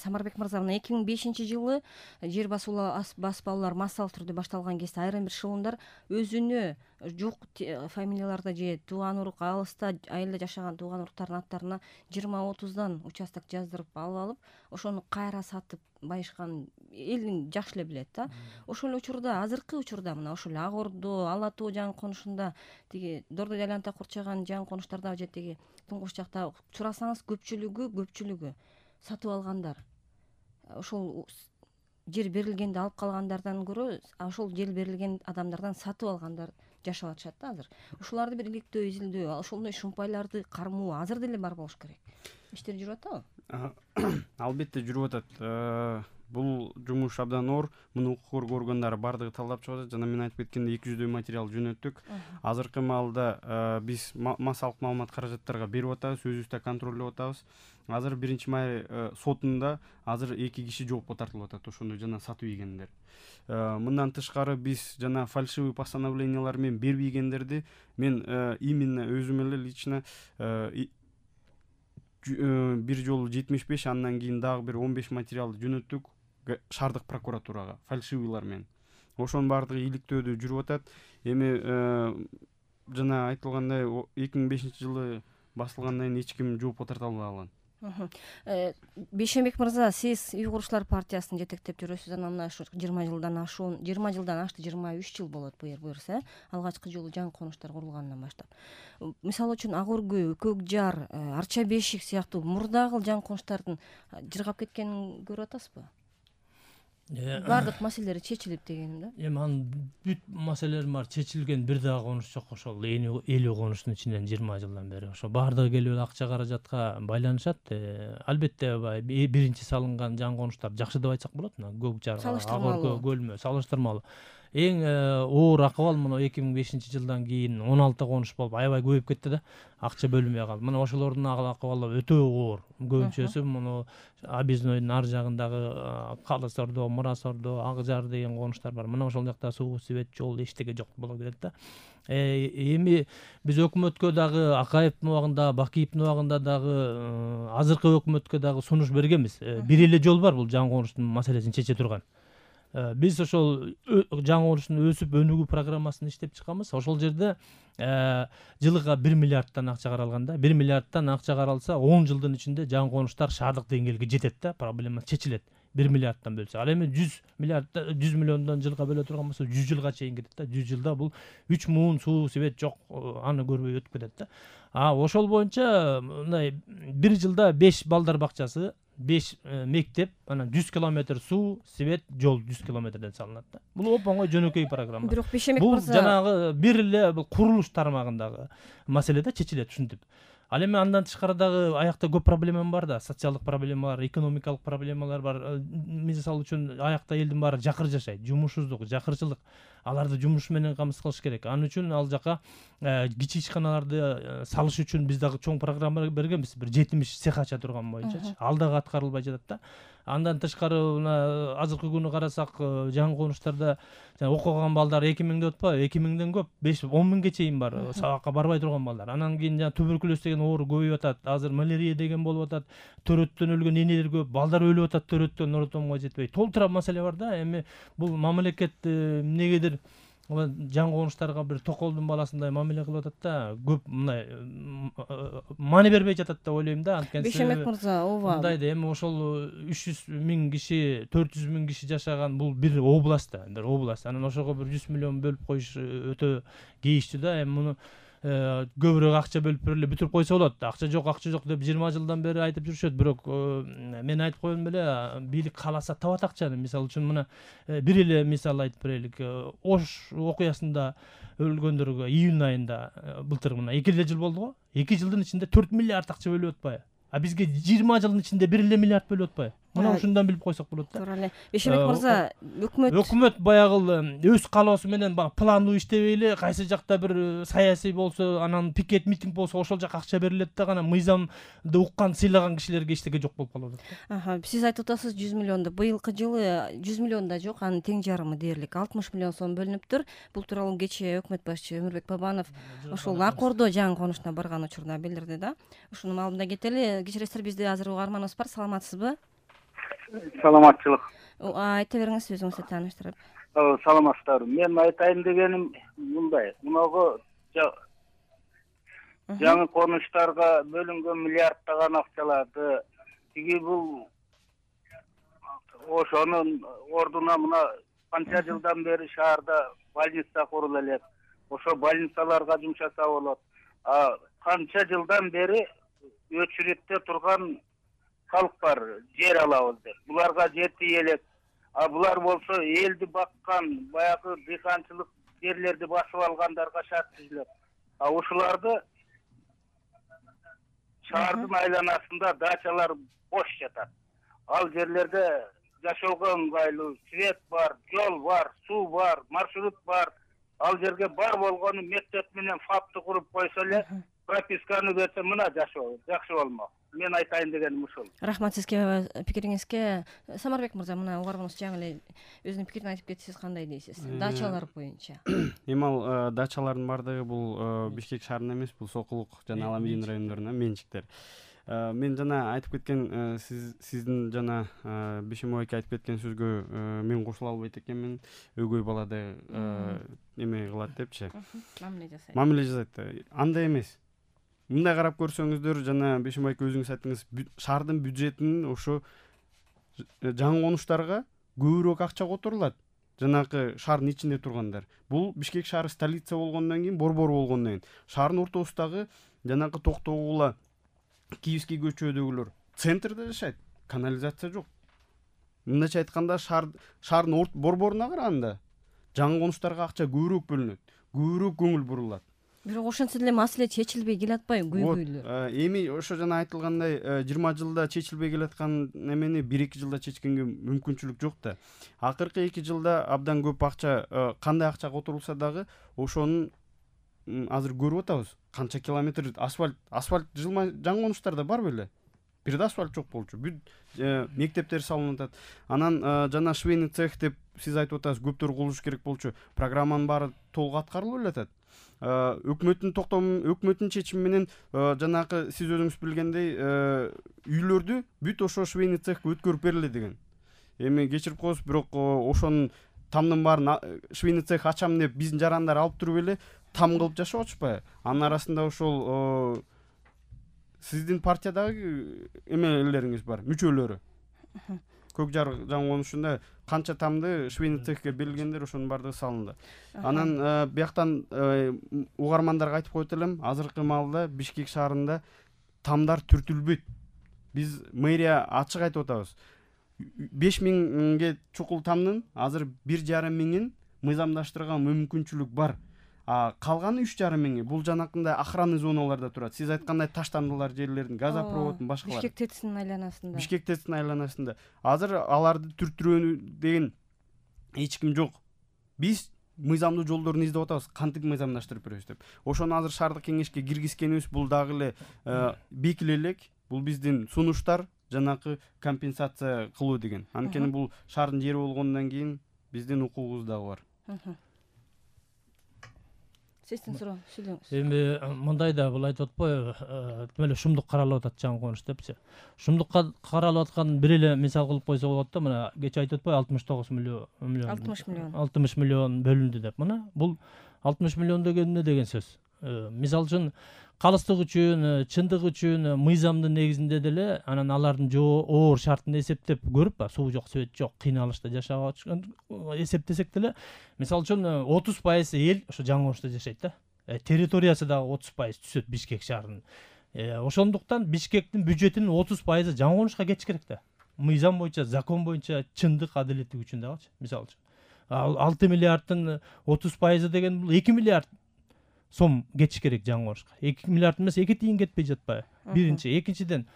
Самарбек мырза, мына 2005-жылы жер баспалуулар массалык түрдө башталган кезде айрым бир эшелондар өзүнө жок фамилияларда же тууган урук алыста айылда жашаган тууган уруктардын аттарына 20-30дан участок жаздырып алып, ошону кайра сатып байышкан эл жакшы эле билет да. Ошол эле учурда, азыркы учурда мына ошол Ак Ордо, Ала Тоо жаңы конушунда, тиги Дордой айланта курчаган жаңы конуштарда же тиги Туңгуш жакта сурасаңыз көпчүлүгү сатып алгандар. Ошол жер берилгенде алып калгандардан көрө, ошол жер берилген адамдардан сатып алгандар жашап атышат да азыр. Ушуларды бир иликтөө, изилдөө, ошондой шумпайларды кармоо азыр деле бар болуш керек. Иштер жүрүп атабы? Албетте жүрүп атат. Бул жумуш абдан оор. Муну укук коргоо органдары бардыгы талдап чыгып атат. Жана мен айтып кеткендей 200дөй материал жөнөттүк. Азыркы маалда биз массалык маалымат каражаттарга берип атабыз, өзүбүз да контролдоп атабыз. Азыр 1-май сотунда азыр 2 киши жоопко тартылып атат, ошондой жана сатып ийгендер. Мындан тышкары биз жана фальшивый постановлениялар менен бербей ийгендерди мен именно өзүм эле лично бир жолу 75, андан кийин дагы бир 15 материалды жөнөттүк шаардык прокуратурага фальшивыйлар менен. Ошонун баардыгы иликтөөдө жүрүп атат. Эми жана айтылгандай 2005-жылы басылгандан кийин эч ким жоопко тарта албаган. Бейшенбек мырза, сиз Үй курушчулар партиясын жетектеп жүрөсүз, анан мына ушу 20 жылдан ашты, 23 жыл болот буюрса, алгачкы жолу жаңы конуштар курулгандан баштап. Мисалы үчүн Ак Өргөй, Көк Жар, Арча Бешик сыяктуу мурдагы жаңы конуштардын жыргап кеткенин көрүп атасызбы? Бардык маселелери чечилип дегеним да. Эми анын бүт маселелери бар, чечилген бир дагы конуш жок. Ошол 50 конуштун ичинен 20 жылдан бери ошо бардыгы келип акча каражатка байланышат. Албетте биринчи салынган жаңы конуштар жакшы деп айтсак болот. Көк Жар, Ак Өргөй, Көлмө салыштырмалуу. Эң оор акыбал мына 2005-жылдан кийин 16 конуш болуп аябай көбөйүп кетти да. Акча бөлүнбөй калды. Мына ошолордун акыбалы өтө оор. Көбүнчөсү муну Абизнойдун ар жагындагы Калыс Ордо, Мурас Ордо, Ак Жар деген конуштар бар. Мына ошол жакта суу, свет, жол эчтеке жок боло берет да. Эми биз өкмөткө дагы Акаевдин убагында, Бакиевдин убагында дагы азыркы өкмөткө дагы сунуш бергенбиз. Бир эле жол бар бул жаңы конуштун маселесин чече турган. Биз ошол жаңы конуштун өсүп өнүгүү программасын иштеп чыкканбыз. Ошол жерде жылыга 1 миллиардтан акча каралган да. 1 миллиардтан акча каралса 10 жылдын ичинде жаңы конуштар шаардык деңгээлге жетет да, проблема чечилет. 1 миллиардтан бөлсө. Ал эми 100 миллиондон жылга бөлө турган болсо 100 жылга чейин кетет да. 100 жылда бул 3 муун суу, свет жок, аны көрбөй өтүп кетет да. Ошол боюнча мындай 1 жылда 5 балдар бакчасы, 5 мектеп, анан 100 километр суу, свет, жол 100 километрден салынат да. Бул оп-оңой жөнөкөй программа. Бирок Бейшенбек мырза, бул жанагы бир эле бул курулуш тармагындагы маселе да, чечилет ушинтип. Ал эми андан тышкары дагы аякта көп проблема бар да, социалдык проблемалар, экономикалык проблемалар бар. Мисалы үчүн аякта элдин баары жакыр жашайт, жумушсуздук, жакырчылык. Аларды жумуш менен камсыз кылыш керек. Анын үчүн ал жака кичи ишканаларды салыш үчүн биз дагы чоң программа бергенбиз. Бир 70 цех ача турган боюнчачы. Ал дагы аткарылбай жатат да. Андан тышкары мына азыркы күнү карасак, жаңы конуштарда окуган балдар 2000 деп атпайбы? 2000ден көп, 5-10 миңге чейин бар, сабакка барбай турган балдар. Анан кийин туберкулез деген оору көбөйүп атат. Азыр малярия деген болуп атат. Төрөттөн өлгөн энелер көп, балдар өлүп атат төрөттөн, норотомго жетпей. Толтура маселе бар да. Эми бул мамлекет эмнегедир жаңы конуштарга бир токолдун баласындай мамиле кылып атат да. Көп мындай маани бербей жатат деп ойлойм да. Бейшенбек мырза, ооба. Мындай да, эми ошол 300 миң киши, 400 миң киши жашаган бул бир област да, бир област. Анан ошого бир 100 миллион бөлүп коюш өтө кейиштүү да. Эми муну көбүрөөк акча бөлүп берели, бүтүрүп койсо болот. Акча жок деп 20 жылдан бери айтып жүрүшөт. Бирок мен айтып коем эле, бийлик кааласа табат акчаны. Мисалы үчүн мына бир эле мисал айтып берелик. Ош окуясында өлгөндөргө июнь айында былтыр мына 2 жыл болду го. 2 жылдын ичинде 4 миллиард акча бөлүп атпайбы? Бизге 20 жылдын ичинде 1 миллиард бөлүп атпайбы? Мына ушундан билип койсок болот да. Туура эле. Бейшенбек мырза, өкмөт баягы өз каалоосу менен пландуу иштебей эле, кайсы жакта бир саясий болсо, анан пикет митинг болсо ошол жака акча берилет да, гана мыйзамды уккан, сыйлаган кишилерге эчтеке жок болуп калып атат. Сиз айтып атасыз 100 миллионду. Быйылкы жылы 100 миллион да жок, анын тең жарымы дээрлик 60 миллион сом бөлүнүптүр. Бул тууралуу кечээ өкмөт башчы Өмүрбек Бабанов ошол Ак Ордо жаңы конушуна барган учурда билдирди да. Ушунун алдында кетели. Кечиресиздер, бизде азыр угарманыбыз бар. Саламатсызбы? Саламатчылык. Айта бериңиз өзүңүздү тааныштырып. Саламатсыздарбы. Мен айтайын дегеним мындай. Мунагы жаңы конуштарга бөлүнгөн миллиарддаган акчаларды тиги бул ошонун ордуна мына канча жылдан бери шаарда больница курулуп элек. Ошо больницаларга жумшаса болот. Канча жылдан бери өчүрүктө турган халк бар, жер алабыз деп. Буларга жетпей элек. Булар болсо элди баккан, баягы дыйканчылык жерлерди басып алгандарга шарт түзүлөт. Ушуларды шаардын айланасында дачалар бош жатат. Ал жерлерде жашоого ыңгайлуу, свет бар, жол бар, суу бар, маршрут бар. Ал жерге бар болгону мектеп менен фапты куруп койсо эле, прописканы берсе мына жашоо жакшы болмок. Мен айтайын дегеним ушул. Рахмат сизге пикириңизге. Самарбек мырза, мына угарманыбыз жаңы эле өзүнүн пикирин айтып кетти. Сиз кандай дейсиз? Дачалар боюнча. Эми ал дачалардын бардыгы бул Бишкек шаарында эмес, бул Сокулук жана Аламедин райондорунда менчиктер. Мен жана айтып кеткен сиздин жана Бишимов эки айтып кеткен сөзгө мен кошула албайт экенмин. Өгөй балада эме кылат депчи. Мамиле жасайт. Андай эмес. Мындай карап көрсөңүздөр, жана Бишимов эки өзүңүз айттыңыз, шаардын бюджетинин ошо жаңы конуштарга көбүрөөк акча которулат. Жанагы шаардын ичинде тургандар. Бул Бишкек шаары столица болгондон кийин, борбор болгондон кийин шаардын ортосундагы жанагы Токтогула, Киевский көчөдөгүлөр центрде жашайт. Канализация жок. Мындайча айтканда шаардын борборуна караганда жаңы конуштарга акча көбүрөөк бөлүнөт, көбүрөөк көңүл бурулат. Бирок ошентсе деле маселе чечилбей келатпайбы көйгөйлөр? Эми ошо жана айтылгандай 20 жылда чечилбей келаткан эмени 1-2 жылда чечкенге мүмкүнчүлүк жок да. Акыркы 2 жылда абдан көп акча, кандай акча которулса дагы ошонун азыр көрүп атабыз. Канча километр асфальт жаңы конуштарда бар беле? Бир да асфальт жок болчу. Бүт мектептер салынып атат. Анан жана швейный цех деп сиз айтып атасыз, көптөр курулуш керек болчу. Программанын баары толук аткарылып эле атат. Өкмөттүн чечими менен жанагы сиз өзүңүз билгендей үйлөрдү бүт ошо швейный цехке өткөрүп бериле деген. Эми кечирип коесуз, бирок ошонун тамдын баарын швейный цех ачам деп биздин жарандар алып туруп эле там кылып жашап атышпайбы? Анын арасында ошол сиздин партиядагы эмелериңиз бар, мүчөлөрү. Көк жар жаңы конушунда канча тамды швейный цехке берилгендер, ошонун бардыгы салынды. Анан бияктан угармандарга айтып коет элем, азыркы маалда Бишкек шаарында тамдар түртүлбөйт. Биз мэрия ачык айтып атабыз. 5000 чукул тамдын азыр 1,5 миңин мыйзамдаштырган мүмкүнчүлүк бар. Калганы 3,5 миңи бул жанакындай охранный зоналарда турат. Сиз айткандай таштандылар жерлердин, газопроводдун башкалары. Бишкек ТЭЦинин айланасында. Бишкек ТЭЦинин айланасында. Азыр аларды түртүрүү деген эч ким жок. Биз мыйзамдуу жолдорун издеп атабыз, кантип мыйзамдаштырып беребиз деп. Ошону азыр шаардык кеңешке киргизкенибиз бул дагы эле бекиле элек. Бул биздин сунуштар, жанакы компенсация кылуу деген. Анткени бул шаардын жери болгондон кийин биздин укугубуз дагы бар. Сиздин суроо, сүйлөңүз. Эми мындай да бул айтып атпайбы, эле шумдук каралып атат жаңы конуш депчи. Шумдукка каралып атканын бир эле мисал кылып койсо болот да, мына кече айтып атпайбы 69 миллион. 60 миллион бөлүндү деп. Мына бул 60 миллион деген эмне деген сөз? Мисал үчүн калыстык үчүн, чындык үчүн мыйзамдын негизинде деле анан алардын оор шартын эсептеп көрүп, суу жок, свет жок, кыйналышта жашап атышкан эсептесек деле, мисал үчүн 30% эл ошо жаңы конушта жашайт да. Территориясы дагы 30% түшөт Бишкек шаарынын. Ошондуктан Бишкектин бюджетинин 30% жаңы конушка кетиш керек да. Мыйзам боюнча, закон боюнча, чындык, адилеттик үчүн дагычы, мисалы үчүн. 6 миллиарддын 30% деген бул 2 миллиард сом кетиш керек жаңы конушка. 2 миллиард эмес, 2 тиын кетпей жатпайбы? Биринчи, экинчиден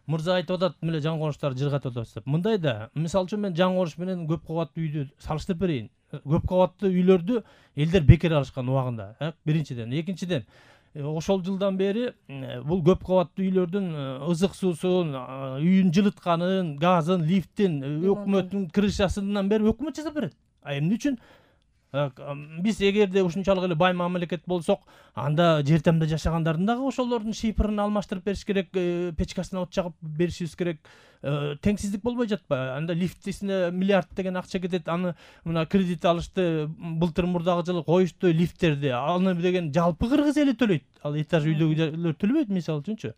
мырза айтып атат, меле жаңы конуштар жыргатып атабыз деп. Мындай да, мисалы үчүн мен жаңы коныш менен көп кабаттуу үйдү салыштырып берейин. Көп кабаттуу үйлөрдү элдер бекер алышкан убагында, биринчиден. Экинчиден, ошол жылдан бери бул көп кабаттуу үйлөрдүн ызык суусун, үйүн жылытканын, газын, лифтин, өкмөттүн крышасынан бери өкмөт жасап берет. Эмне үчүн? Биз эгерде ушунчалык эле бай мамлекет болсок, анда жер тамда жашагандардын дагы ошолордун шийпырын алмаштырып бериш керек, печкасына от жагып беришибиз керек. Теңсиздик болбой жатпайбы? Анда лифтисине миллиард деген акча кетет, аны мына кредит алышты, былтыр мурдагы жылы коюшту лифттерди, аны деген жалпы кыргыз эли төлөйт. Ал этаж үйдөгүлөр төлөбөйт мисалы үчүнчү.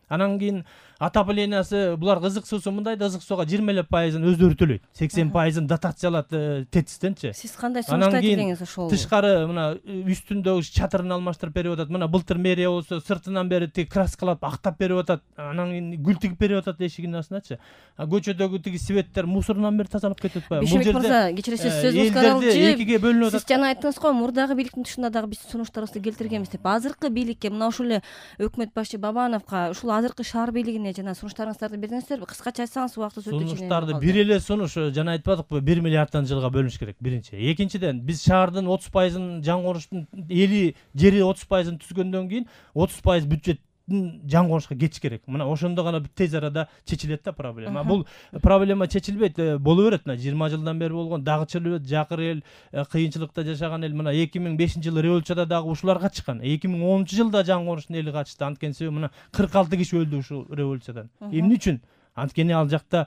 Анан кийин отоплениясы, булар ызык суусу мындайда ызык сууга 20% өздөрү төлөйт. 80% дотация алат ТЭЦ-тенчи. Сиз кандай сунуштайт элеңиз ошол? Тышкары мына үстүндөгү чатырын алмаштырып берип атат. Мына былтыр мэрия болсо сыртынан бери тиги краскалап актап берип атат. Анан кийин гүл тигип берип атат эшигинин астыначы. Көчөдөгү тиги светтер мусорунан бери тазалап кетип атпайбы? Бул жерде мырза, кечиресиз, сөзүңүз каралчы. Экиге бөлүнүп атат. Сиз жана айттыңыз го, мурдагы бийликтин тышында дагы биз сунуштарыбызды келтиргенбиз деп. Азыркы бийликке, мына ушул эле өкмөт башчы Бабановго, ушул азыркы шаар бийлигине жана сунуштарыңыздарды бердиңиздерби? Кыскача айтсаңыз, убактыбыз өтө ченем. Сунуштарды бир эле сунуш жана айтпадыкпы, 1 миллиарддан жылга бөлүнүш керек биринчи. Экинчиден, биз шаардын 30%-ын жаңы конуштун эли жери 30%-ын түзгөндөн кийин 30% бюджеттин жаңы конушка кетиш керек. Мына ошондо гана тез арада чечилет да проблема. Бул проблема чечилбейт, боло берет. 20 жылдан бери болгон дагы чечилбейт, жакыр эл, кыйынчылыкта жашаган эл. Мына 2005-жылы революцияда дагы ушулар качкан. 2010-жылда жаңы конуштун эли качты. Анткени себеби мына 46 киши өлдү ушул революциядан. Эмне үчүн? Анткени ал жакта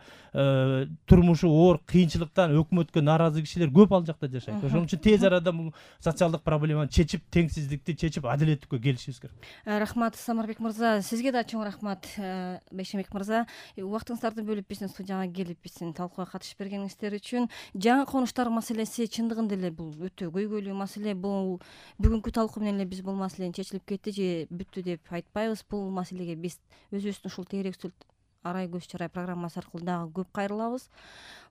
турмушу оор, кыйынчылыктан өкмөткө нааразы кишилер көп ал жакта жашайт. Ошон үчүн тез арада бул социалдык проблеманы чечип, теңсиздикти чечип, адилеттикке келишибиз керек. Рахмат, Самарбек мырза. Сизге да чоң рахмат, Бейшембек мырза. Убактыңыздарды бөлүп биздин студияга келип биздин талкууга катышып бергениңиздер үчүн. Жаңы конуштар маселеси чындыгында эле бул өтө көйгөйлүү маселе. Бул бүгүнкү талкуу менен эле биз бул маселени чечилип кетти же бүттү деп айтпайбыз. Бул маселеге биз өзүбүздүн ушул Тегерек Арай көз чарай программасы аркылуу дагы көп кайрылабыз.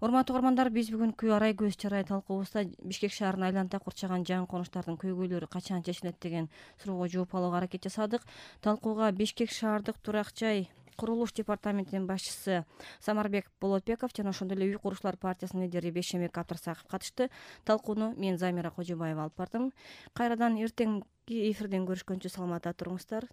Урматтуу угармандар, биз бүгүнкү Арай көз чарай талкуубузда Бишкек шаарын айланта курчаган жаңы конуштардын көйгөйлөрү качан чечилет деген суроого жооп алууга аракет жасадык. Талкууга Бишкек шаардык турак жай курулуш департаментинин башчысы Самарбек Болотбеков жана ошондой эле Үй курушчулар партиясынын лидери Бейшембек Абдырсаков катышты. Талкууну мен Замира Кожобаева алып бардым. Кайрадан эртеңки эфирден көрүшкөнчө саламатта туруңуздар.